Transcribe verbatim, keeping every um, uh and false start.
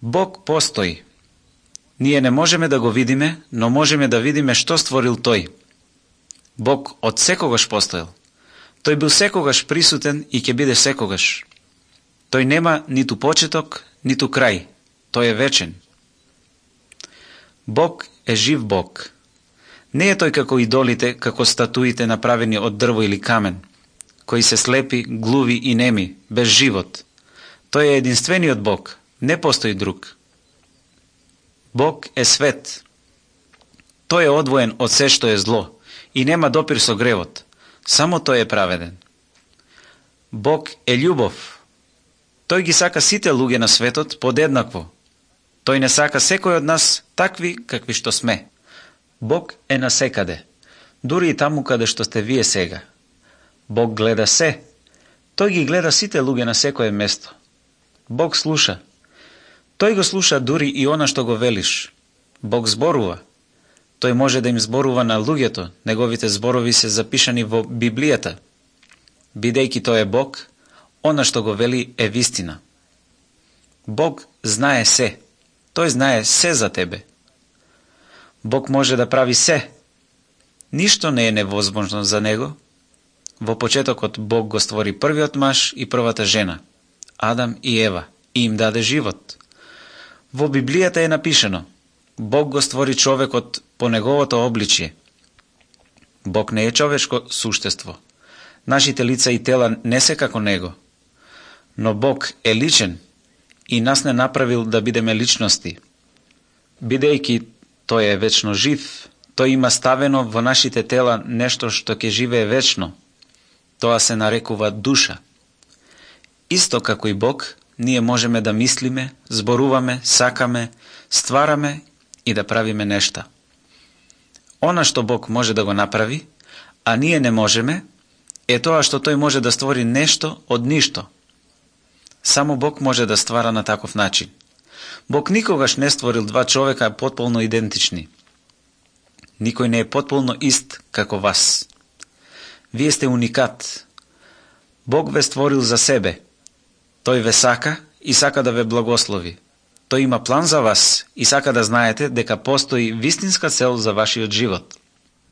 Бог постои. Ние не можеме да го видиме, но можеме да видиме што створил Тој. Бог од секогаш постоел. Тој бил секогаш присутен и ќе биде секогаш. Тој нема ниту почеток, ниту крај. Тој е вечен. Бог е жив Бог. Не е тој како идолите, како статуите направени од дрво или камен, кои се слепи, глуви и неми, без живот. Тој е единствениот Бог. Не постои друг. Бог е свет. Тој е одвоен од се што е зло и нема допир со гревот. Само тој е праведен. Бог е љубов. Тој ги сака сите луѓе на светот подеднакво. Тој не сака секој од нас такви какви што сме. Бог е насекаде, дури и таму каде што сте вие сега. Бог гледа се. Тој ги гледа сите луѓе на секое место. Бог слуша. Тој го слуша дури и она што го велиш. Бог зборува. Тој може да им зборува на луѓето, неговите зборови се запишани во Библијата. Бидејќи тој е Бог, она што го вели е вистина. Бог знае се. Тој знае се за тебе. Бог може да прави се. Ништо не е невозможно за него. Во почетокот Бог го створи првиот маж и првата жена, Адам и Ева, и им даде живот. Во Библијата е напишано: Бог го створи човекот по неговото обличје. Бог не е човечко суштество. Нашите лица и тела не се како него. Но Бог е личен и нас не направил да бидеме личности. Бидејќи тој е вечно жив, тој има ставено во нашите тела нешто што ќе живее вечно. Тоа се нарекува душа. Исто како и Бог, ние можеме да мислиме, зборуваме, сакаме, ствараме и да правиме нешта. Она што Бог може да го направи, а ние не можеме, е тоа што тој може да створи нешто од ништо. Само Бог може да ствара на таков начин. Бог никогаш не створил два човека потполно идентични. Никој не е потполно ист како вас. Вие сте уникат. Бог ве створил за себе. Тој ве сака и сака да ве благослови. Тој има план за вас и сака да знаете дека постои вистинска цел за вашиот живот.